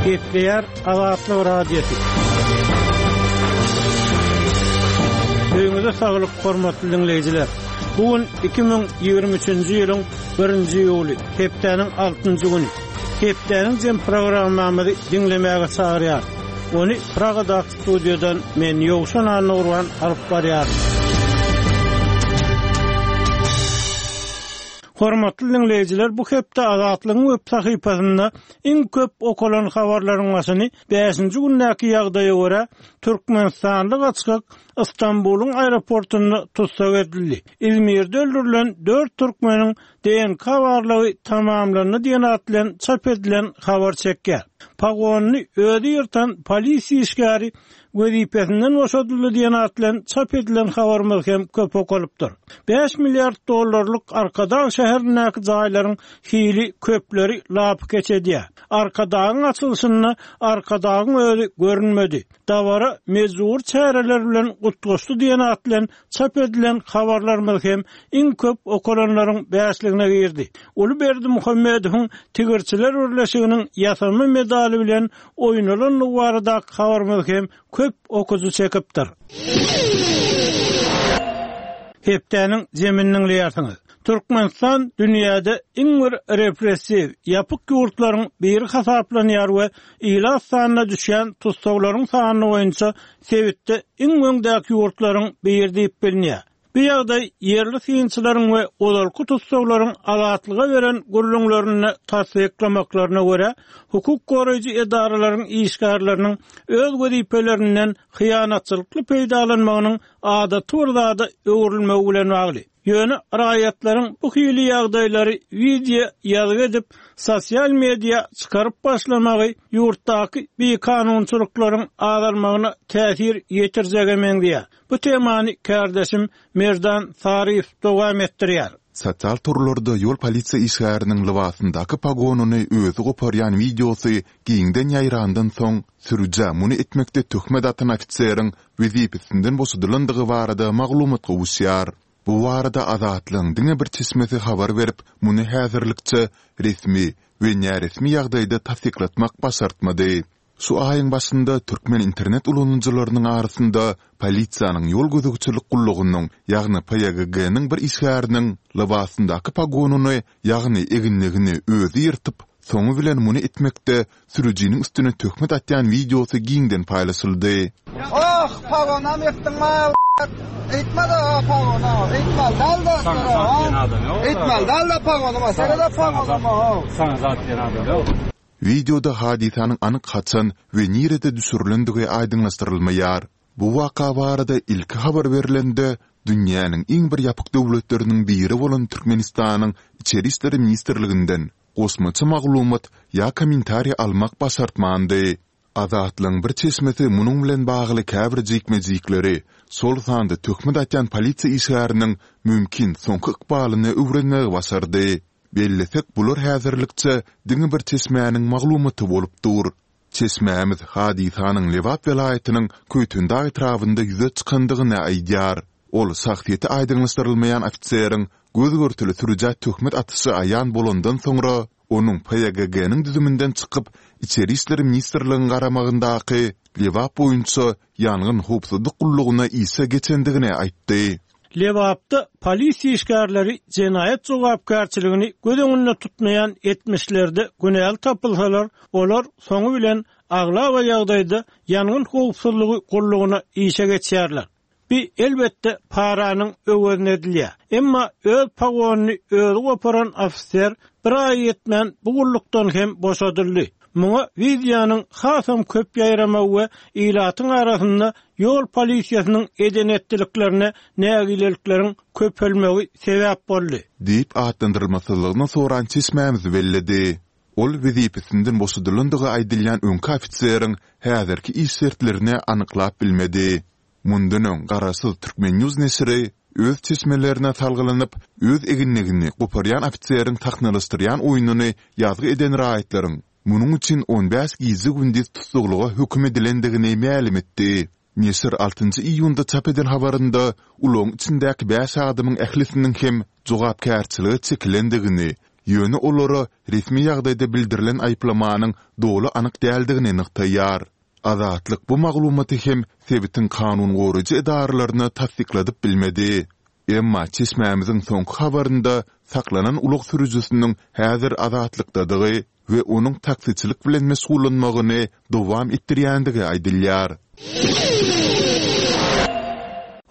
Gepleýär Azatlyk Radiosy. Öýüňize saglyk, hormatly diňleýjiler! Bu gün 2023-nji ýylyň birinji iýuly, hepdäniň altynjy güni. Hepdäniň jem programmamyzy diňlemäge çagyrýarys. Ony Pragadaky studiýadan men Ýowşan Annagurban alyp barýaryn. Hormatly diňleýjiler, bu hepde Azatlygyň web sahypasynda iň köp okalan habarlaryň başyny bäşinji gündäki ýagdaýa görä, türkmenistanly gaçgak Stambulyň aeroportunda tussag edildi. Izmirde öldürilen dört türkmeniň DNK barlagy tamamlandy diýen at bilen çap edilen habar çekýär. Pogonyny özi ýyrtan polisiýa işgäri wezipesinden boşadyldy diýen at bilen çap edilen habarymyz hem köp okalypdyr. Bäş milliard dollarlyk Arkadag şäherindäki jaýlaryň hili köpleri lapykeç edýär. Arkadagyň açylyşynda Arkadagyň özi görünmedi. Dabara mejbury çäreler bilen utgaşdy diýen at bilen çap edilen habarlarymyz hem iň köp okalanlaryň bäşligine girdi. Uly Berdimuhamedowyň Tigirçiler birleşiginiň ýasama medaly bilen oýnalandygy baradaky habarymyz hem köp okyjy çekipdir. Hepdäniň zemini diňleýärsiňiz. Türkmenistan dünýäde iň bir repressiw, ýapyk ýurtlaryň biri hasaplanýar we ilat sanyna düşýän tussaglaryň sany boýunça sebitde iň öňdäki ýurtlaryň biri diýip bilinýär. Bu ýagdaý ýerli synçylaryň we ozalky tussaglaryň Azatlyga beren gürrüňlerinde tassyklamaklaryna görä, hukuk goraýjy edaralaryň işgärleriniň öz wezipelerinden hyýanatçylykly peýdalanmagynyň adaty bir zada öwrülmegi bilen bagly. Ýöne raýatlaryň bu hili ýagdaýlary wideo ýazgy edip, sosial media çykaryp başlamagy ýurtdaky bikanunçylyklaryň azalmagyna täsir ýetirjege meňzeýär. Bu temany kärdeşim Merdan Saryýew dowam etdirýär. Sosial torlarda ýol polisiýa işgäriniň lybasyndaky pogonyny özi goparýan wideosy giňden ýaýrandan soň, sürüjä muny etmekde töhmet atan ofiseriň wezipesinden boşadylandygy barada maglumat gowuşýar. Bu barada Azatlygyň diňe bir çeşmesi habar berip, muny häzirlikçe resmi we näresmi ýagdaýda tassyklatmak başartmady. Şu aýyň başynda türkmen internet ulanyjylarynyň arasynda polisiýanyň ýol gözegçilik gullugynyň, ýagny PÝGG-niň bir işgäriniň lybasyndaky pogonyny, ýagny eginligini özi ýyrtyp, soňy bilen muny etmekde sürüjiniň üstüne töhmet atýan wideosy giňden paýlaşyldy. Oh pagonam ýykdyň mal eýtmede o pagona eýtmeli dälde Saňa zat diýen adam ýok. Eýtmeli dälde pagonuma serede pagonuma how. Saňa zat diýen adam ýok. Wideoda hadysanyň anyk haçan we nirede düşürilendigi aýdyňlaşdyrylmaýar. Bu waka barada ilki habar berlende, dünýäniň iň bir ýapyk döwletleriniň biri bolan Türkmenistanyň Içeri işler ministrliginden goşmaça maglumat ýa kommentariý almak başartmandy. Azatlygyň bir çeşmesi munuň bilen bagly käbir jikme-jikleri, şol sanda töhmet atýan polisiýa işgäriniň mümkin soňky ykbalyny öwrenmegi başardy. Bellesek, bular häzirlikçe diňe bir çeşmäniň maglumaty bolup dur. Çeşmämiz hadysanyň Lebap welaýatynyň Köýtendag etrabynda ýüze çykandygyny aýdýar. Ol şahsyýeti aýdyňlaşdyrylmaýan ofiseriň göz-görtele sürüjä töhmet atyşy aýan bolandan soňra, onuň PÝGG-niň düzüminden çykyp, Içeri işler ministrligiň garamagyndaky Lebap boýunça ýangyn howpsuzlyk gullugyna işe geçendigini aýtdy. Lebapda polisiýa işgärleri jenaýat jogapkärçiligini göz öňünde tutmaýan etmişlerde günäli tapylsalar, olar soňy bilen aglaba ýagdaýda ýangyn howpsuzlygy gullugyna işe geçýärler. Bi, elbetde, paranyň öwezine edilýär. Emma öz pogonyny özi goparan ofiser bir aýa ýetmän bu gullukdan hem boşadyldy. Muňa wideonyň hasam köp ýaýramagy we ilatyň arasynda ýol polisiýasynyň eden-etdiliklerine nägilelikleriň köpelmegi sebäp boldy. Diýip, atlandyrylmasyzlygyny soran çeşmämiz belledi. Ol wezipesinden boşadylandygy aýdylýan öňki ofiseriň häzirki iş şertlerini anyklap bilmedi. Mundan öň garaşsyz Turkmen. News neşiri öz çeşmelerine salgylanyp, öz eginligini goparýan ofiseriň sahnalaşdyrýan oýnuny ýazgy eden raýatlaryň munuň üçin on bäş gije-gündiz tussaglyga höküm edilendigini mälim etdi. Neşir altynjy iýunda çap eden habarynda ulagyň içindäki bäş adamyň ählisiniň hem jogapkärçilige çekilendigini. Ýöne olara resmi ýagdaýda bildirilen aýyplamanyň doly anyk däldigini nygtaýar. Azatlyk bu maglumaty hem sebitiň kanun goraýjy edaralaryna tassykladyp bilmedi. Emma çeşmämiziň soňky habarynda saklanan ulag sürüjisiniň häzir azatlykdadygy we onuň taksiçilik bilen meşgullanmagyny dowam etdirýändigi aýdylýar.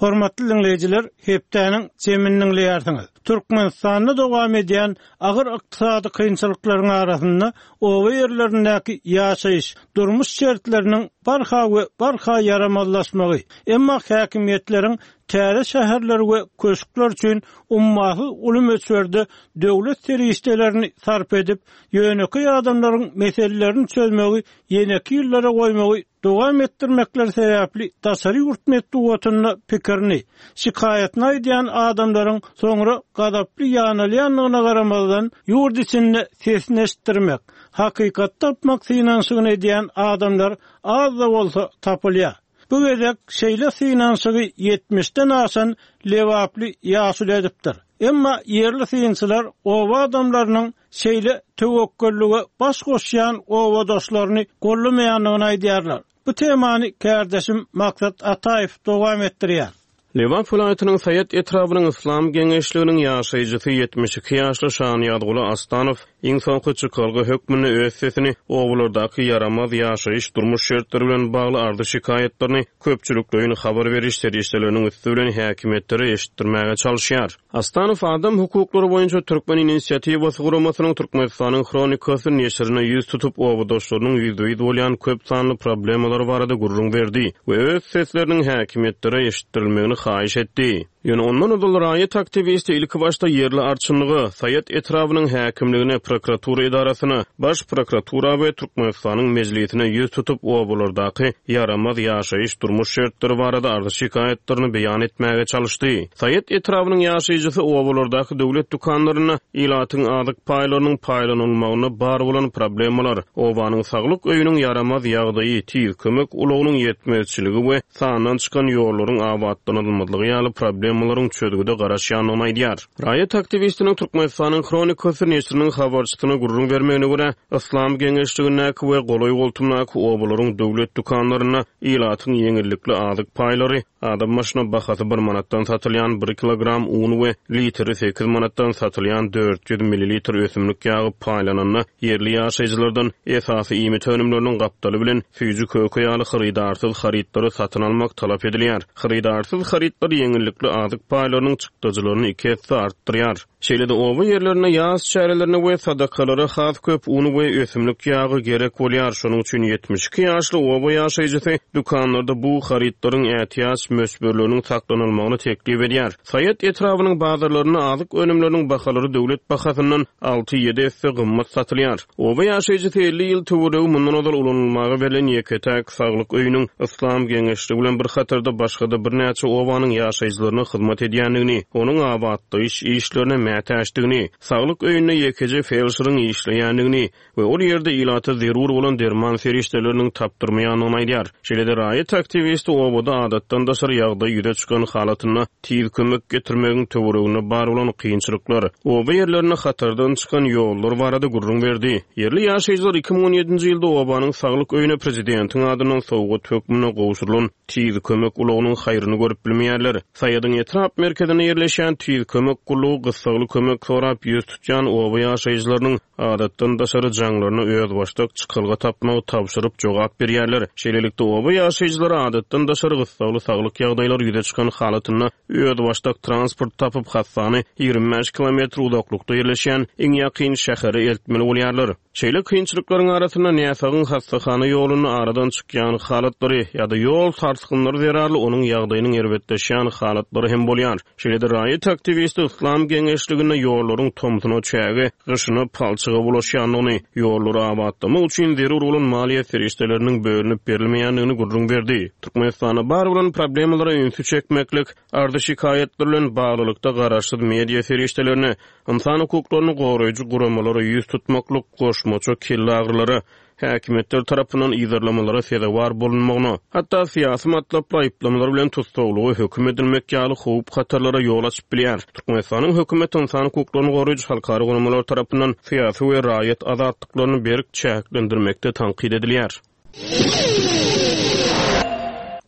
Hormatly diňleýjiler, hepdäniň jemini diňleýärsiňiz. Türkmenistanda dowam edýän agyr ykdysady kynçylyklaryň arasynda oba ýerlerindäki ýaşaýyş, durmuş şertleriniň barha we barha ýaramazlaşmagy, emma häkimiýetleriň täze şäherler we köşkler üçin ummasyz uly möçberde döwlet serişdelerini sarp edip, ýönekeý adamlaryň meselelerini çözmegi ýeneki ýyllara goýmagy dowam etdirmekleri sebäpli daşary ýurt metbugatynda pikirini, şikaýatyny aýdýan adamlaryň soňra gazaply ýanalýandygyna garamazdan, ýurt içinde sesini eşitdirmek, hakykaty tapmak synanyşygyny edýän adamlar az-da bolsa tapylýar. Bu gezek şeýle synanyşygy ýetmişden aşan lebaply ýaşuly edipdir. Emma ýerli synçylar oba adamlarynyň şeýle töwekgellige baş goşýan obadaşlaryny gollamaýandygyny aýdýarlar. Bu temany kärdeşim Maksat Ataýew dowam etdirýär. Lebap welaýatynyň Saýat etrabynyň Yslam geňeşliginiň ýaşaýjysy 72 ýaşly Şanyýazguly Astanow iň soňky çykalga hökmünde öz sesini obalardaky ýaramaz ýaşaýyş-durmuş şertleri bilen bagly arzy-şikaýatlaryny köpçülikleýin habar beriş serişdeleriniň üsti bilen häkimiýetlere eşitdirmäge çalyşýar. Astanow Adam hukuklary boýunça Türkmen inisiatiwasy guramasynyň Türkmenistanyň Hronikasy neşirine ýüz tutup, obadaşlarynyň ýüzbe-ýüz bolýan köp sanly problemalary barada gürrüň berdi we öz sesleriniň häkimiýetlere eşitdirilmegini haýyş etdi. Ýöne ondan ozal raýat aktiwisti ilkibaşda ýerli arçynlyga, Saýat etrabynyň häkimligine, prokuratura edarasyna, Baş prokuratura we Türkmenistanyň Mejlisine ýüz tutup, obalardaky ýaramaz ýaşaýyş-durmuş şertleri barada arzy-şikaýatlaryny beýan etmäge çalyşdy. Saýat etrabynyň ýaşaýjysy obalardaky döwlet dükanlarynda ilatyň azyk paýlarynyň paýlanylmagynda bar bolan problemalar, obanyň saglyk öýüniň ýaramaz ýagdaýy, tiz kömek ulagynyň ýetmezçiligi we sandan çykan ýollaryň abatlanylmazlygy ýaly problemalaryň çözgüde garaşýandygyny aýdýar. Raýat aktiwistiniň Türkmenistanyň Hronikasy neşiriniň habarçysyna gürrüň bermegine görä, Yslam geňeşligindäki we golaý-goltumdaky obalaryň döwlet dükanlarynda ilatyň ýeňillikli azyk paýlary, adam başyna bahasy bir manatdan satylýan bir kilogram un we litri sekiz manatdan satylýan 400 millilitr ösümlik ýagy paýlananda, ýerli ýaşaýjylardan esasy iýmit önümleriniň gapdaly bilen süýji-köke ýaly hyrydarsyz harytlary satyn almak talap edilýär. Hyrydarsyz harytlar ýeňillikli azyk paýlarynyň çykdajylaryny iki esse artdyrýar. Şeýle-de oba ýerlerinde ýas çärelerine we sadakalara has köp un we ösümlik ýagy gerek bolýar. Şonuň üçin 72 ýaşly oba ýaşaýjysy dükanlarda bu harytlaryň ätiýaç möçberleriniň saklanylmagyny teklip edýär. Saýat etrabynyň bazarlarynda azyk önümleriniň bahalary döwlet bahasyndan alty-ýedi esse gymmat satylýar. Oba ýaşaýjysy 50 ýyl töweregi mundan ozal ulanylmaga berlen ýeke-täk saglyk öýüniň Yslam geňeşligi bilen bir hatarda başga-da birnäçe obanyň ýaşaýjylaryna hyzmat edýändigini, onuň abatlaýyş işlerine mätäçdigini, saglyk öýünde ýekeje felşeriň işleýändigini we ol ýerde ilata zerur bolan derman serişdeleriniň tapdyrmaýandygyny aýdýar. Şeýle-de raýat aktiwisti obada adatdan daşary ýagdaý ýüze çykan halatynda tiz kömek getirmegiň töwereginde bar bolan kynçylyklar, oba ýerlerinde hatardan çykan ýollar barada gürrüň berdi. Ýerli ýaşaýjylar 2017-nji ýylda obanyň saglyk öýüne prezidentiň adyndan sowgat hökmünde gowşurylan tiz kömek ulagynyň haýryny görüp bilmeýärler. Saýadyň etrap merkezinde ýerleşýän tiz kömek gullugy gyssagly kömek sorap ýüz tutýan oba ýaşaýjylarynyň adatdan daşary jaňlaryna özbaşdak çykalga tapmagy tabşyryp jogap berýärler. Şeýlelikde, oba ýaşaýjylary adatdan daşary gyssagly saglyk ýagdaýlary ýüze çykan halatynda özbaşdak transport tapyp, hassany 25 kilometr uzaklykda ýerleşýän iň ýakyn şähere eltmeli bolýarlar. Şeýle kynçylyklaryň arasynda näsagyň hassahana ýolunda aradan çykýan halatlary ýa-da ýol sarsgynlary zerarly onuň ýagdaýynyň erbetleşýän halatlary hem bolýar. Şeýle-de raýat aktiwisti Yslam geňeşliginde ýollaryň tomsuna çäge, gyşyna palçyga bulaşýandygyny, ýollary abatlamak üçin zerur bolan maliýe serişdeleriniň bölünip berilmeýändigini gürrüň berdi. Türkmenistanda bar bolan problemalara ünsi çekmeklik, arzy-şikaýatlar bilen baglylykda garaşsyz media serişdelerine, ynsan hukuklaryny goraýjy guramalara ýüz tutmaklyk goşmaça kelleagyrylara, häkimiýetler tarapyndan yzarlamalara sezewar bolunmagyna, hatda syýasy matlaply aýyplamalar bilen tussaglyga höküm edilmek ýaly howp-hatarlara ýol açyp bilýär. Türkmenistanyň hökümeti ynsan hukuklaryny goraýjy halkara guramalar tarapyndan syýasy we raýat azatlyklaryny berk çäklendirmekde tankyt edilýär.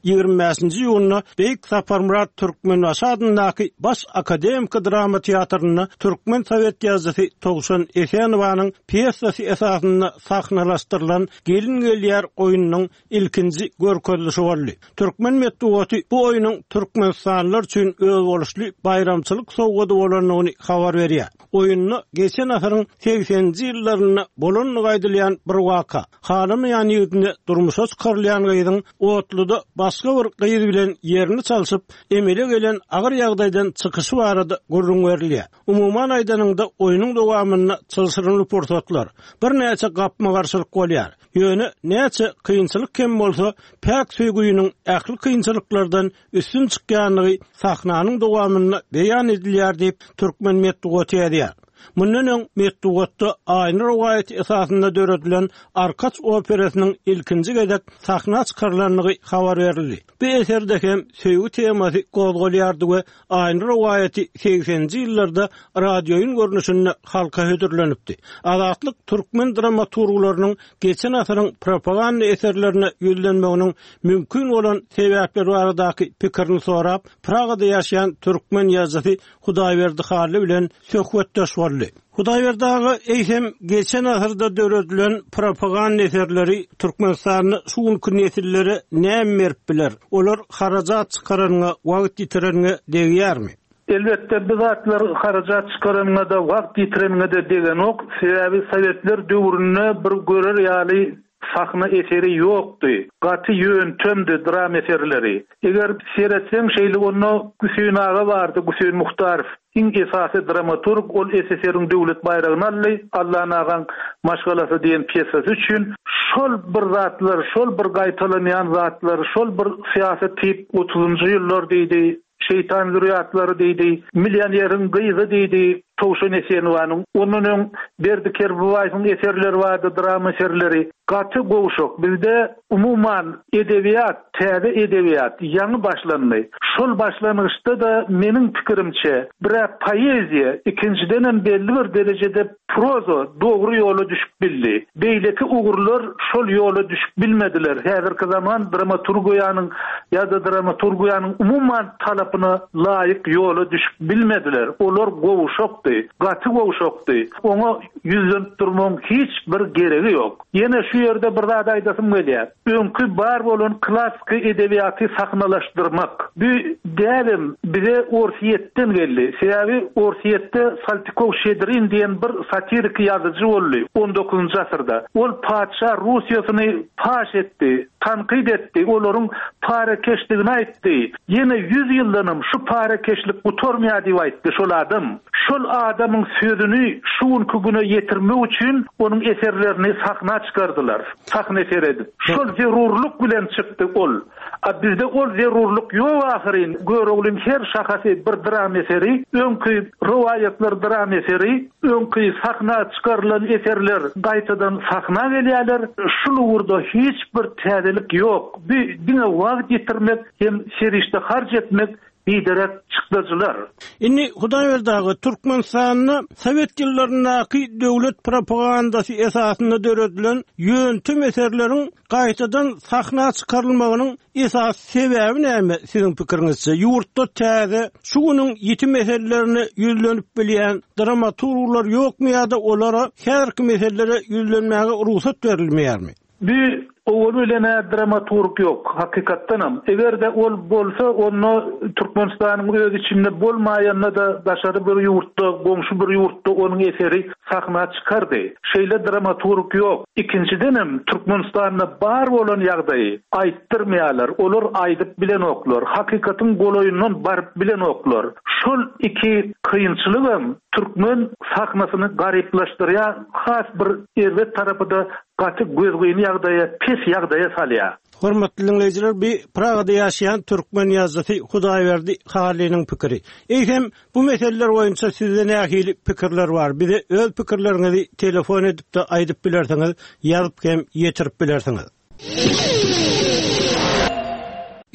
25-nji iýunda Beýik Saparmyrat Türkmenbaşy adyndaky Baş akademiki drama teatrynda türkmen sowet ýazyjysy Towşan Esenowanyň pýesasy esasynda sahnalaşdyrylan Gelin gelýär oýnunyň ilkinji görkezilişi boldy. Türkmen metbugaty bu oýnuň türkmenistanlylar üçin özboluşly baýramçylyk sowgady bolandygyny habar berýär. Oýunda geçen asyryň segseninji ýyllarynda bolandygy aýdylýan bir waka, halamaýan ýigidine durmuşa çykarylýan gyzyň otluda başga bir gyz bilen ýerini çalşyp, emele gelen agyr ýagdaýdan çykyşy barada gürrüň berilýär. Umuman aýdanyňda, oýnuň dowamynda çylşyrymly pursatlar, birnäçe gapma-garşylyk bolýar. Ýöne näçe kynçylyk hem bolsa, päk söýgüniň ähli kynçylyklardan üstün çykýandygy sahnanyň dowamynda beýan edilýär diýip, türkmen metbugaty ýazýar. Mundan öň metbugatda Aýna rowaýaty esasynda döredilen Arkaç operasynyň ilkinji gezek sahna çykarylandygy habar berildi. Bu eserde hem söýgi temasy gozgalýardy we Aýna rowaýaty segseninji ýyllarda radioýyn görnüşinde halka hödürlenipdi. Azatlyk türkmen dramaturglarynyň geçen asyryň propaganda eserlerine ýüzlenmeginiň mümkin bolan sebäpleri baradaky pikirini sorap, Pragada ýaşaýan türkmen ýazyjysy Hudaýberdi Hally bilen söhbetdeş boldy. Hudaýberdi aga, eýsem, geçen asyrda döredilen propaganda eserleri Türkmenistanda şu günki nesillere näme berip biler? Olar harajat çykaranyňa, wagt ýitireniňe degýärmi? Elbetde, bu zatlar harajat çykaranyňa-da, wagt ýitireniňe-de degenok. Sebäbi sowetler döwründe bir görer ýaly sahna eseri ýokdy. Gaty ýöntemdi dram eserleri. Eger seretseň şeýle onda Güseýin aga bardy, Güseýin Muhtarow. Iň esasy dramaturg, ol SSR-iň döwlet baýragyny aldy, Allan agaň maşgalasy diýen pýesasy üçin. Şol bir zatlar, şol bir gaýtalanýan zatlar, şol bir syýasy tip otuzynjy ýyllar diýdi, Şeýtan zürýatlary diýdi, Millioneriň gyzy diýdi, Towşan Esenowanyň, ondan öň Berdi Kerbabaýewiň eserleri bardy, drama eserleri. Gaty gowşak. Bizde umuman edebiýat, täze edebiýat ýaňy başlandy. Şol başlangyçda-da meniň pikirimçe, bir-ä poeziýa, ikinjidenem belli bir derejede Proza dogry ýola düşüp bildi. Beýleki ugurlar şol ýola düşüp bilmediler. Häzirki zaman dramaturgiýanyň ýa-da dramaturgiýanyň umuman talapyna laýyk ýola düşüp bilmediler. Olar gowşakdy, gaty gowşakdy. Oňa ýüzlenip durmagyň hiç bir geregi ýok. Ýene şu ýerde bir zat aýdasym gelýär. Öňki bar bolan klassyky edebiýaty sahnalaşdyrmak. Bu däbem bize Orsýetden geldi. Sebäbi Orsýetde Saltykow-Şedrin diýen bir satiriki ýazyjy boldy on dokuzynjy asyrda. Ol patyşa Russiýasyny paş etdi, tankyt etdi, olaryň parakeşdigini aýtdy. Ýene ýüz ýyldanam şu parakeşlik gutarmaýar diýip aýtdy şol adam. Şol adamyň sözüni şu günki güne ýetirmek üçin onuň eserlerini sahna çykardylar. Sahna eseri edip. Şol zerurlyk bilen çykdy ol. A bizde ol zerurlyk ýok ahyryn. Göroglyň her şahasy bir dram eseri, öňki rowaýatlar dram eseri, öňki sahna çykarylan eserler gaýtadan sahna gelýärler. Şul ugurda hiç bir täzelik ýok. Bu diňe wagt ýitirmek hem serişde harç etmek biderek çykdajylar. Indi Hudaýberdi aga, Türkmenistanda sowet ýyllaryndaky döwlet propagandasy esasynda döredilen ýöntem eserleriň gaýtadan sahna çykarylmagynyň esasy sebäbi näme, siziň pikiriňizçe? Ýurtda täze, şu günüň ýiti meselelerine ýüzlenip bilýän dramaturglar ýokmy ýa-da olara häzirki meselelere ýüzlenmäge rugsat berilmeýärmi? Bu owal bilen-ä dramaturg ýok, hakykatdanam. Eger-de ol bolsa, onda Türkmenistanyň öz içinde bolmaýanda-da daşary bir ýurtda, goňşy bir ýurtda onuň eseri sahna çykardy. Şeýle dramaturg ýok. Ikinjidenem, Türkmenistanda bar bolan ýagdaýy aýtdyrmaýarlar, olar aýdyp bilenoklar, hakykatyň golaýyndan baryp bilenoklar. Şol iki kynçylygam türkmen sahnasyny garyplaşdyrýar, has bir erbet tarapy-da. gaty gözgyny ýagdaýa, pes ýagdaýa salýar. Hormatly diňleýjiler, bu Pragada ýaşaýan türkmen ýazyjysy Hudaýberdi Hallynyň pikiri. Eýsem, bu meseleler boýunça sizde nähili pikirler bar? Bize öz pikirleriňizi telefon edip-de aýdyp bilersiňiz, ýazyp hem ýetirip bilersiňiz.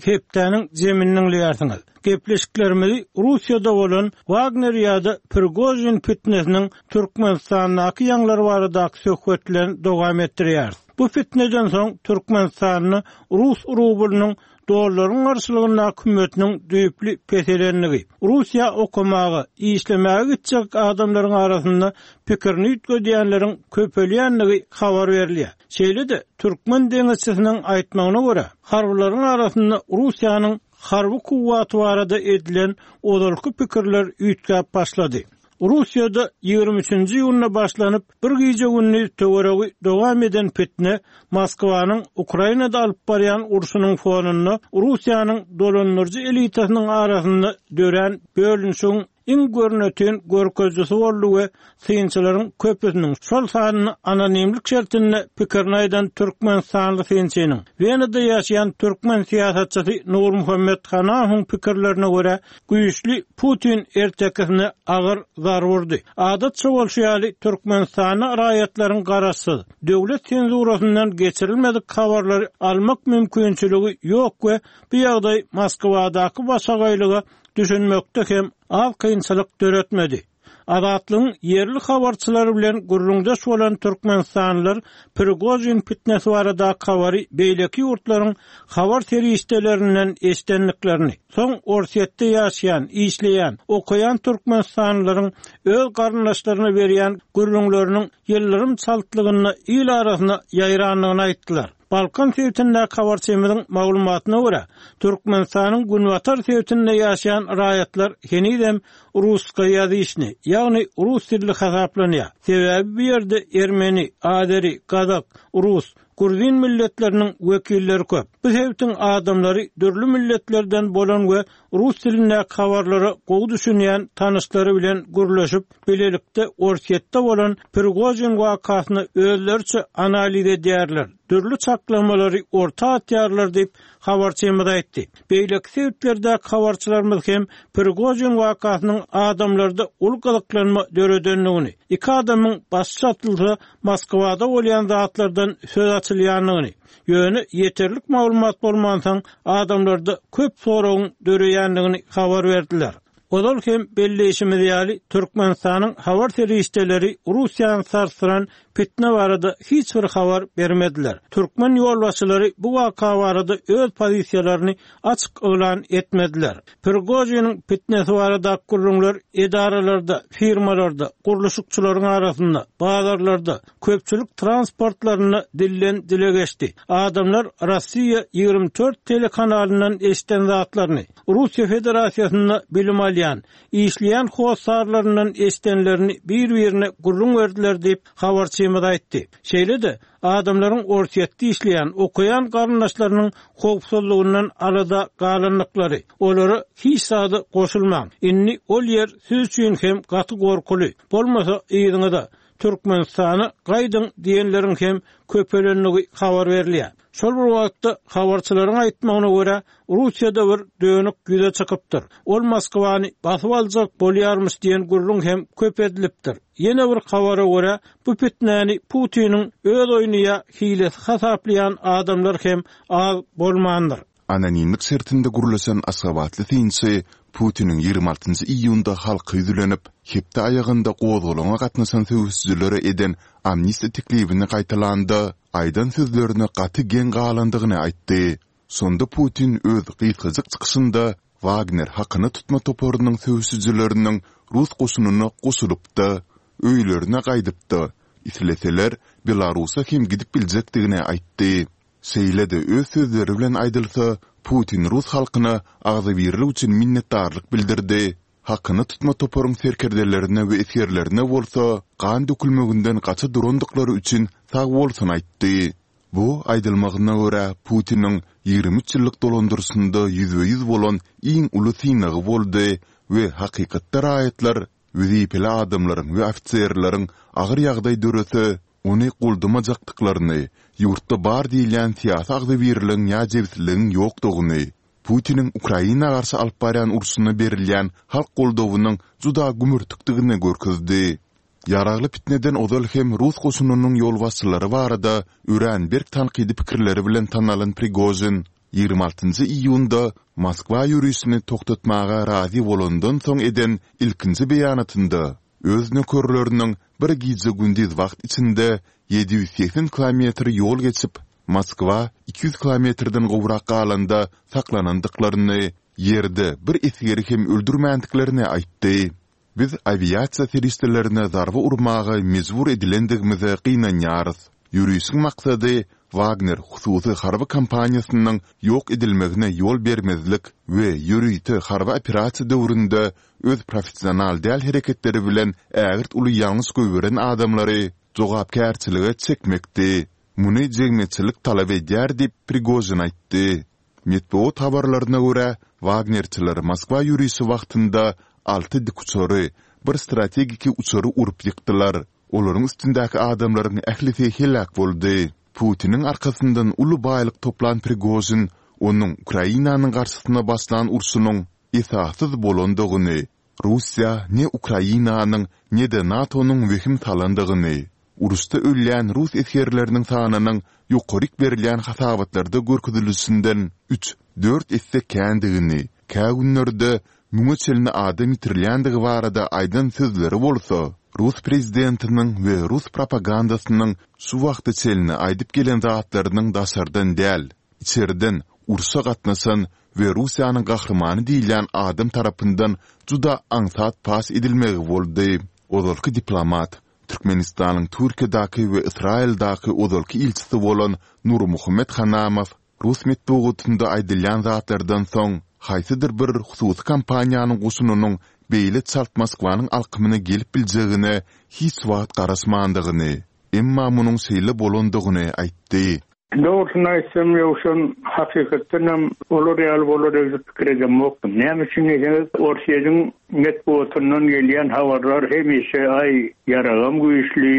Hepdäniň jemini diňleýärsiňiz. Gepleşiklerimizi Russiýada bolan Wagner ýa-da Prigožin pitnesiniň Türkmenistandaky ýaňlary baradaky söhbet bilen dowam etdirýäris. Bu pitneden soň Türkmenistanda rus rublynyň dollaryň garşylygyndaky hümmetiniň düýpli peselendigi, Russiýa okamaga, işlemäge gitjek adamlaryň arasynda pikirini üýtgedýänleriň köpelýändigi habar berilýär. Şeýle-de, türkmen deňizçisiniň aýtmagyna görä, harbylaryň arasynda Russiýanyň harby kuwwaty barada edilen ozalky pikirler üýtgäp başlady. Russiýada 23-nji iýunda başlanyp, bir gije-gündiz töweregi dowam eden pitne Moskwanyň Ukrainada alyp barýan urşunyň fonunda Russiýanyň dolandyryjy elitasynyň arasynda dörän bölünişigiň iň görnetin görkezijisi boldy we synçylaryň köpüsiniň, şol sanda anonimlik şertinde pikirini aýdan türkmenistanly synçynyň, Wenada ýaşaýan türkmen syýasatçysy Nurmuhammet Hanahowyň pikirlerine görä, güýçli Putin ertekisine agyr zarba urdy. Adatça bolşy ýaly, Türkmenistanda raýatlaryň garaşsyz, döwlet senzurasyndan geçirilmedik habarlary almak mümkinçiligi ýok we bu ýagdaý Moskwadaky başagaýlyga düşünmekde hem az kynçylyk döretmedi. Azatlygyň ýerli habarçylary bilen gürrüňdeş bolan türkmenistanlylar Prigožin pitnesi baradaky habary beýleki ýurtlaryň habar serişdelerinden eşidendiklerini, soň Orsýetde ýaşaýan, işleýän, okaýan türkmenistanlylaryň öz garyndaşlaryna berýän gürrüňleriniň ýyldyrym çaltlygynda il arasyna ýaýrandygyny aýtdylar. Balkan sebitindäki habarçymyzyň maglumatyna görä, Türkmenistanyň günbatar sebitinde ýaşaýan raýatlar henizem russkoýazyçnyý, ýagny rus dilli hasaplanýar. Sebäbi bu ýerde ermeni, azeri, gazak, rus, gruzin milletleriniň wekilleri köp. Bu sebitiň adamlary dürli milletlerden bolan we rus dilindäki habarlara gowy düşünýän tanyşlary bilen gürleşip, bilelikde Orsýetde bolan Prigožin wakasyny özleriçe analiz edýärler, dürli çaklamalary orta atýarlar diýip, habarçymyz aýtdy. Beýleki sebitlerdäki habarçylarymyz hem Prigožin wakasynyň adamlarda uly gyzyklanma döredendigini, iki adamyň başy çatylsa, Moskwada bolýan zatlardan söz açylýandygyny, ýöne ýeterlik maglumat bolmansoň, adamlarda köp soragyň döreýändigini habar berdiler. Ozal hem belleýşimiz ýaly, Türkmenistanyň habar serişdeleri Russiýany sarsdyran pitne barada hiç bir habar bermediler. Türkmen ýolbaşçylary bu waka barada öz pozisiýalaryny açyk yglan etmediler. Prigožiniň pitnesi baradaky gürrüňler edaralarda, firmalarda, gurluşykçylaryň arasynda, bazarlarda, köpçülik transportlarynda dilden dile geçdi. Adamlar Rossiýa 24 telekanalyndan eşiden zatlaryny, Russiýa Federasiýasynda bilim alýan, işleýän hossarlaryndan eşidenlerini bir-birine gürrüň berdiler diýip, habarçymyz aýtdy. Şeýle-de, adamlaryň Orsýetde işleýän, okaýan garyndaşlarynyň howpsuzlygyndan alada galandyklary, olara hiç zada goşulmaň, indi ol ýer siz üçin hem gaty gorkuly, bolmasa yzyňyza, Türkmenistana gaýdyň diýenleriň hem köpelendigi habar berilýär. Şol bir wagtda, habarçylaryň aýtmagyna görä, Russiýada bir dönük ýüze çykypdyr. Ol Moskwany basyp aljak bolýarmyş diýen gürrüň hem köp edilipdir. Ýene bir habara görä, bu pitnäni Putiniň öz oýny ýa hilesi hasaplaýan adamlar hem az bolmandyr. Anonimlik şertinde gürleşen aşgabatly synçy Putiniň 26 iýunda halka ýüzlenip, hepde aýagynda gozgalaňa gatnaşan söweşijilere eden amnistiýa teklibini gaýtalanda, aýdan sözlerine gaty geň galandygyny aýtdy. Şonda Putin öz gysgajyk çykyşynda Wagner hakyna tutma toparynyň söweşijileriniň rus goşunyna goşulyp-da, öýlerine gaýdyp-da, isleseler, Belarusa hem gidip biljekdigini aýtdy. Şeýle-de öz sözleri bilen aýdylsa, Putin rus halkyna agzybirlik üçin minnetdarlyk bildirdi, hakyna tutma toparyň serkerdelerine we esgerlerine bolsa gan dökülmeginden gaça durandyklary üçin sagbolsun aýtdy. Bu, aýdylmagyna görä, Putiniň 23 ýyllyk dolandyryşynda ýüzbe-ýüz bolan iň uly synagy boldy we hakykatda raýatlar wezipeli adamlaryň we ofiserleriň agyr ýagdaý dörese, ony goldamajakdyklaryny, ýurtda bar diýilýän syýasy agzybirligiň ýa jebisligiň ýokdugyny, Putiniň Ukraina garşy alyp barýan urşuna berilýän halk goldawynyň juda gümürtikdigini görkezdi. Ýaragly pitneden ozal hem rus goşunynyň ýolbaşçylary barada örän berk tankydy pikirleri bilen tanalan Prigožin 26 iýunda Moskwa ýörişini togtatmaga razy bolandan soň eden ilkinji beýanatynda öz nökerleriniň bir gije-gündiz wagt içinde 780 kilometr ýol geçip, Moskwa 200 kilometrden gowrak galanda saklanandyklaryny, ýerde bir esgeri hem öldürmändiklerini aýtdy. Biz awiasiýa serişdelerine zarba urmaga mejbur edilendigimize gynanýarys. Ýörişiň maksady Wagner hususy harby kompaniýasynyň ýok edilmegine ýol bermezlik we ýörite harby operasiýa döwründe öz professional däl hereketleri bilen ägirt uly ýalňyş goýberen adamlary jogapkärçilige çekmekdi. Muny jemgyýetçilik talap edýär diýip, Prigožin aýtdy. Metbugat habarlaryna görä, wagnerçiler Moskwa ýörişi wagtynda alty dikuçary, bir strategiki uçary urup ýykdylar. Olaryň üstündäki adamlaryň ählisi heläk boldy. Putiniň arkasyndan uly baýlyk toplan Prigožin onuň Ukrainanyň garşysyna başlan urşunyň esassyz bolandygyny, Russiýa ne Ukrainanyň, ne-de NATO-nyň wehim salandygyny, uruşda ölýän rus esgerleriniň sanynyň ýokaryk berilýän hasabatlarda görkezilişinden üç, dört esse kändigini, kä günlerde müňe çenli adam ýitirilýändigi barada aýdan sözleri bolsa, rus prezidentiniň we rus propagandasynyň şu wagta çenli aýdyp gelen zatlarynyň daşardan däl, içerden urşa gatnaşan we Russiýanyň gahrymany diýilýän adam tarapyndan juda aňsat paş edilmegi boldy. Ozalky diplomat, Türkmenistanyň Türkiýedäki we Ysraýyldaky ozalky ilçisi bolan Nurmuhammet Hanamow rus metbugatynda aýdylýan zatlardan soň, haýsydyr bir hususy kompaniýanyň goşunynyň beýle çalt Moskwanyň alkymyna gelip biljegine hiç wagt garaşmandygyny, emma munuň şeýle bolandygyny aýtdy. Dogrusyny aýtsam, Ýowşan, hakykatdanam olar ýaly bolar öýdüp pikir edemokdym. Näme üçin diýseňiz, Orsýetiň metbugatyndan gelýän habarlar hemişe, aý, ýaragam güýçli,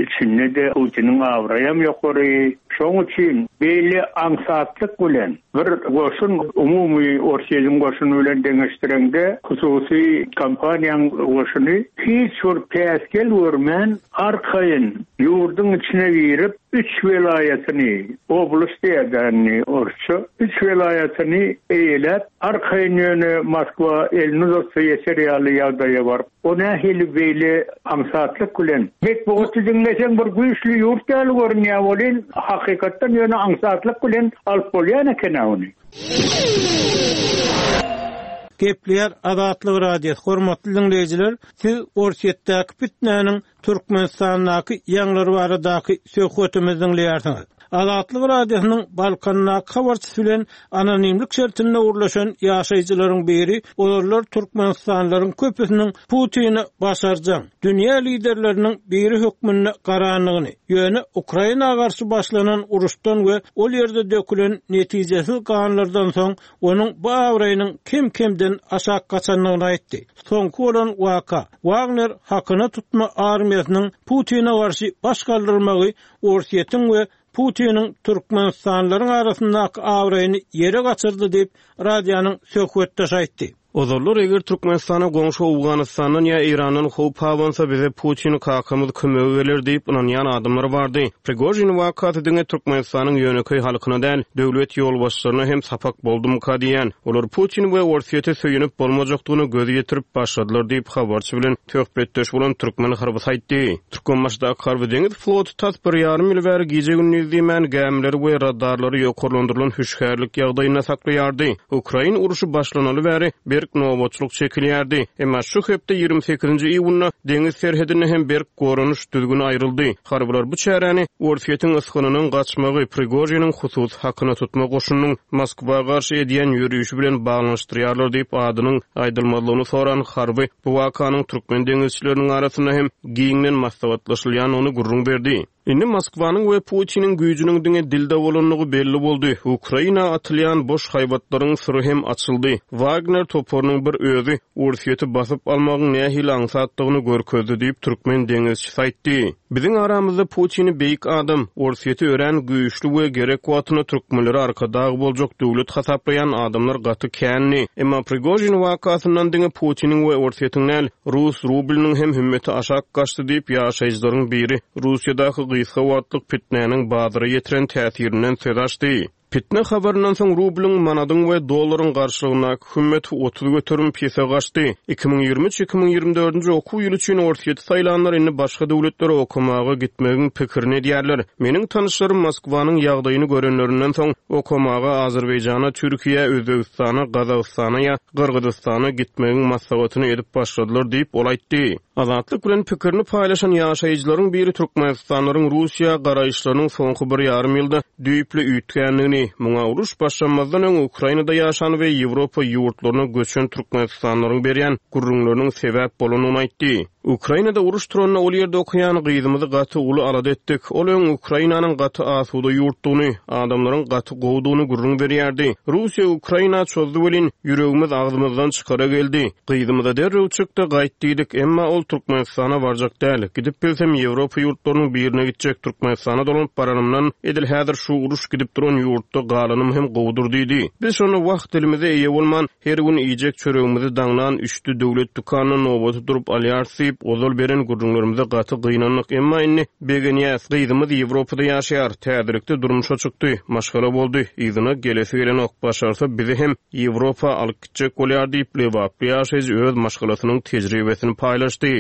içinde-de Putiniň abraýam ýokary. Şoň üçin beýle aňsatlyk bilen bir goşun, umumy Orsýetiň goşuny bilen deňeşdireňde, hususy kompaniýaň goşuny hiç bir päsgel görmän, arkaýyn ýurduň içine girip, üç welaýatyny, oblast diýýär-dä indi orsça, üç welaýatyny eýeläp, arkaýyn ýöne Moskwa elini uzatsa ýeter ýaly ýagdaýa baryp, o nähili beýle aňsatlyk bilen, metbugaty diňleseň bir güýçli ýurt ýaly görünýär welin, hakykatdan ýöne aňsatlyk bilen alyp bolýan eken-ä ony. Gepleýär Azatlyk Radiosy, hormatly diňleýjiler, siz Orsýetdäki pitnäniň Türkmenistandaky ýaňlar baradaky söhbetimizi diňleýärsiňiz. Azatlyk Radiosynyň Balkandaky habarçysy bilen anonimlik şertinde gürleşen ýaşaýjylaryň biri ozallar türkmenistanlylaryň köpüsiniň Putine başarjaň, dünýä liderleriniň biri hökmünde garandygyny, ýöne Ukraina garşy başlanan uruşdan we ol ýerde dökülen netijesiz ganlardan soň onuň bu abraýynyň kem-kemden aşak gaçandygyny aýtdy. Soňky bolan waka, Wagner hakyna tutma armiýasynyň Putine garşy baş galdyrmagy Orsýetiň we Putiniň türkmenistanlylaryň arasyndaky abraýyny ýere gaçyrdy diýip, radionyň söhbetdeşi aýtdy. Ozallar eger Türkmenistana goňşy Owganystandan ýa Eýrandan howp abansa, bize Putin kakamyz kömege geler diýip ynanýan adamlar bardy. Prigožin wakasy diňe Türkmenistanyň ýönekeý halkyna däl, döwlet ýolbaşçylaryna hem sapak boldumyka diýýän. Olar Putin we Orsýete söýenip bolmajakdygyna göz ýetirip başladylar diýip, habarçy bilen söhbetdeş bolan türkmen harbysy aýtdy. Türkmenbaşydaky harby-deňiz floty tas bir ýarym ýyl bäri gije-gündiz diýmän, gämileri we radarlary ýokarlandyrylan hüşgärlik ýagdaýynda saklaýardy. Ukrain urşy başlanaly bäri berk nobatçylyk çekilýärdi. Emma şu hepde 28-nji iýunda deňiz serhedinde hem berk goranyş düzgüni aýryldy. Harbylar bu çäräni Orsýetiň ysgynynyň gaçmagy, Prigožiniň hususy hakyna tutma goşunynyň Moskwa garşy edýän ýörişi bilen baglanyşdyrýarlar diýip, adynyň aýdylmazlygyny soran harby bu wakanyň türkmen deňizçileriniň arasynda hem giňden maslahatlaşylýandygyny gürrüň berdi. Indi Moskwanyň we Putiniň güýjüniň diňe dilde bolandygy belli boldy. Ukraina atylýan boş haýbatlaryň syry hem açyldy. Wagner toparynyň bir özi Orsýeti basyp almagyň nähili aňsatdygyny görkezdi diýip, türkmen deňizçisi aýtdy. Biziň aramyzda Putini beýik adam, Orsýeti örän güýçli we gerek wagtynda türkmenlere arkadag boljak döwlet hasaplaýan adamlar gaty kändi. Emma Prigožin wakasyndan diňe Putiniň we Orsýetiň däl, rus rublynyň hem hümmeti aşak gaçdy diýip, ýaşaýjylaryň biri Russiýadaky gysga wagtlyk pitnäniň bazara ýetiren täsirinden söz açdy. Pitne habaryndan soň rublyň, manadyň we dollaryň garşylygyndaky hümmeti 30% pese gaçdy. 2023, 2024-nji okuw ýyly üçin Orsýeti saýlanlar indi başga döwletlere okamaga gitmegiň pikirini edýärler. Meniň tanyşlarym Moskwanyň ýagdaýyny görenlerinden soň, okamaga Azerbaýjana, Türkiýä, Özbegistana, Gazagystana ýa Gyrgyzystana gitmegiň maslahatyny edip başladylar diýip, ol aýtdy. Azatlyk bilen pikirini paýlaşan ýaşaýjylaryň biri türkmenistanlylaryň Russiýa garaýyşlarynyň soňky bir ýarym ýylda düýpli üýtgändigini, muňa uruş başlanmazdan öň Ukrainada ýaşan we Ýewropa ýurtlaryna göçen türkmenistanlylaryň berýän gürrüňleriniň sebäp bolandygyny aýtdy. Ukrainada uruş turanda ol ýerde okaýan gyzymyzy gaty uly alada etdik. Ol öň Ukrainanyň gaty asuda ýurtdugyny, adamlaryň gaty gowudygyny gürrüň berýärdi. Russiýa Ukraina çozdy welin, ýüregimiz agzymyzdan çykara geldi. Gyzymyza derrew çyk-da gaýt diýdik, emma ol Türkmenistana barjak däl. Gidip bilsem Ýewropa ýurtlarynyň birine gitjek, Türkmenistana dolanyp baranymdan, edil häzir şu uruş gidip duran ýurtda galanym hem gowudyr diýdi. Biz şonda wah dilimize eýe bolman, Her gün iýjek çöregimizi daňdan üçde döwlet dükanynda nobata durup alýarys diýip, ozal beren gürrüňlerimize gaty gynandyk. Emma indi begenýäs. Gyzymyz Ýewropada ýaşaýar. Täzelikde durmuşa çykdy. Maşgala boldy. Yzyna gelesi gelenok. Başarsa bizi hem Ýewropa alyp gitjek bolýar diýip, lebaply ýaşaýjy öz maşgalasynyň tejribesini paýlaşdy.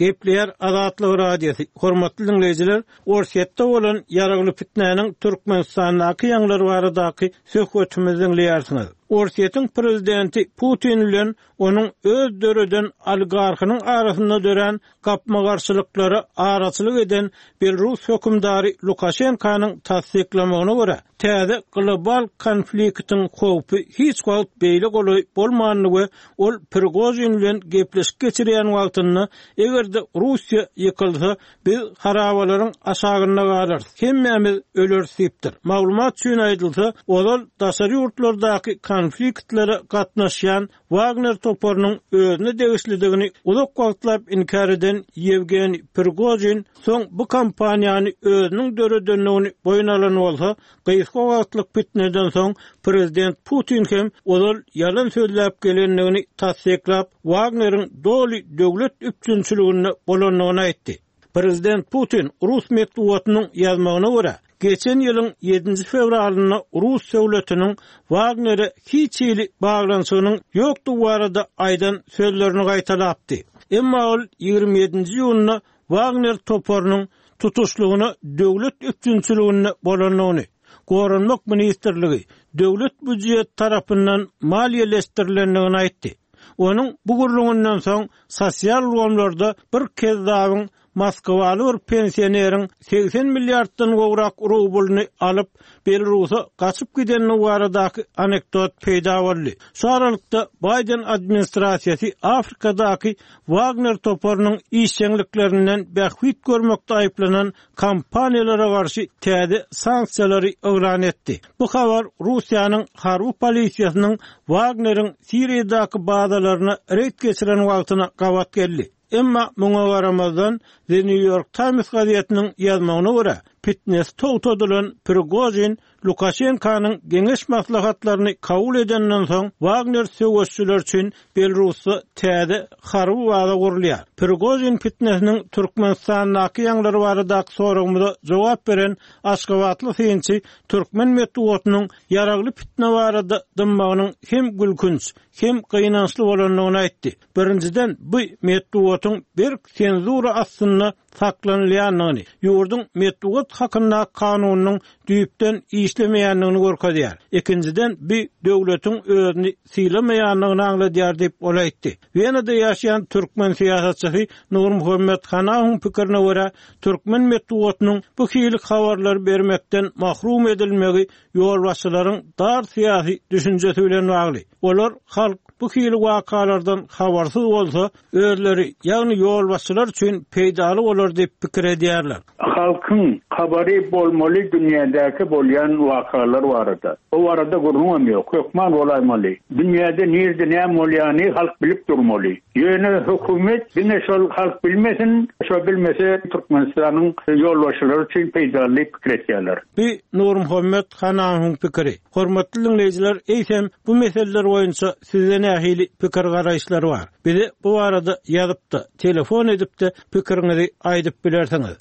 Gepleýär Azatlyk Radiosy, Hormatly diňleýjiler, Orsýetde bolan ýaragly pitnäniň Türkmenistandaky ýaňlary baradaky söhbetimizi diňleýärsiňiz. Orsýetiň prezidenti Putin bilen onuň öz döreden oligarhynyň arasynda dörän gapma-garşylyklara araçylyk eden belrus hökümdary Lukaşenkanyň tassyklamagyna görä, täze global konfliktiň howpy hiç wagt beýle golaý bolmandy we ol Prigožin bilen gepleşik geçirýän wagtynda, eger-de Russiýa ýykylsa, biz harabalaryň aşagynda galarys, hemmämiz öleris diýipdir. Maglumat üçin aýdylsa, ozal daşary ýurtlardaky konfliktlere gatnaşýan Wagner toparynyň özüne degişlidigini uzak wagtlap inkär eden Ýewgeniý Prigožin soň bu kompaniýany özüniň döredendigini boýun alan bolsa, gysga wagtlyk pitneden soň prezident Putin hem ozal ýalan sözläp gelendigini tassyklap, Wagneriň doly döwlet üpjünçiliginde bolandygyny aýtdy. Prezident Putin rus metbugatynyň ýazmagyna görä, geçen ýylyň ýedinji fewralynda rus döwletiniň Wagnere hiç hili baglanyşygynyň ýokdugy barada aýdan sözlerini gaýtalapdy. Emma ol 27-nji iýunda Wagner toparynyň tutuşlygyna döwlet üpjünçiliginde bolandygyny, Goranmak ministrligi, döwlet býujeti tarapyndan maliýeleşdirilendigini aýtdy. Onuň bu gürrüňinden soň sosial ulgamlarda bir kezzabyň moskwaly bir pensioneriň 80 milliarddan gowrak rublyny alyp, Belarusa gaçyp gidenligi baradaky anekdot peýda boldy. Şu aralykda, Baýden administrasiýasy Afrikadaky Wagner toparynyň işjeňliklerinden bähbit görmekde aýyplanan kompaniýalara garşy täze sanksiýalary yglan etdi. Bu habar Russiýanyň harby polisiýasynyň Wagneriň Siriýadaky bazalaryna reýd geçiren wagtyna gabat geldi. Emma muňa garamazdan, The New York Times gazetiniň ýazmagyna görä, pitnesi togtadylan Prigožin Lukaşenkanyň geňeş-maslahatlaryny kabul edenden soň, Wagner söweşçileri üçin Belarusda täze harby baza gurulýar. Prigožin pitnesiniň Türkmenistandaky ýaňlary baradaky soragymyza jogap beren aşgabatly synçy türkmen metbugatynyň ýaragly pitne barada dymmagynyň hem gülkünç, hem gynançly bolandygyny aýtdy. Birinjiden, bu metbugatyň berk senzura astynda saklanylýandygyny, ýurduň Metbugat hakyndaky kanunynyň düýpden işlemeýändigini görkezýär. Ikinjiden, bu döwletiň özüni sylamaýandygyny aňladýar diýip, ol aýtdy. Wenada ýaşaýan türkmen syýasatçysy Nurmuhammet Hanawyň pikirine görä, türkmen metbugatynyň bu hili habarlary bermekden mahrum edilmegi ýolbaşçylaryň dar syýasy düşünjesi bilen bagly. Olar halk. bu hili wakalardan habarsyz bolsa, özleri, ýagny ýolbaşçylar üçin peýdaly bolar diýip pikir edýärler. Halkyň habary bolmaly dünýädäki bolýan wakalar barada. O barada gürrüňem ýok. Hökman bolaýmaly. Dünýäde nirde näme bolýany halk bilip durmaly. Ýöne hökümet diňe şol halk bilmesin, şo bilmese Türkmenistanyň ýolbaşçylary üçin peýdaly diýip pikir etýärler. Bu Nurmuhammet Hanamowyň pikiri. Hormatly diňleýjiler, eýsem bu meseleler boýunça sizde nähili pikir-garaýyşlar bar? Bize bu barada ýazyp-da, telefon edip-de pikiriňizi aýdyp bilersiňiz.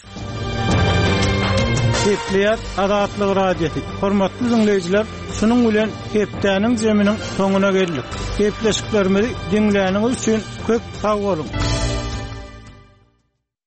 Gepleýär Azatlyk Radiosy. Hormatly diňleýjiler, şunuň bilen hepdäniň zeminiň soňuna geldik. Gepleşiklerimizi diňläniňiz üçin köp sag boluň!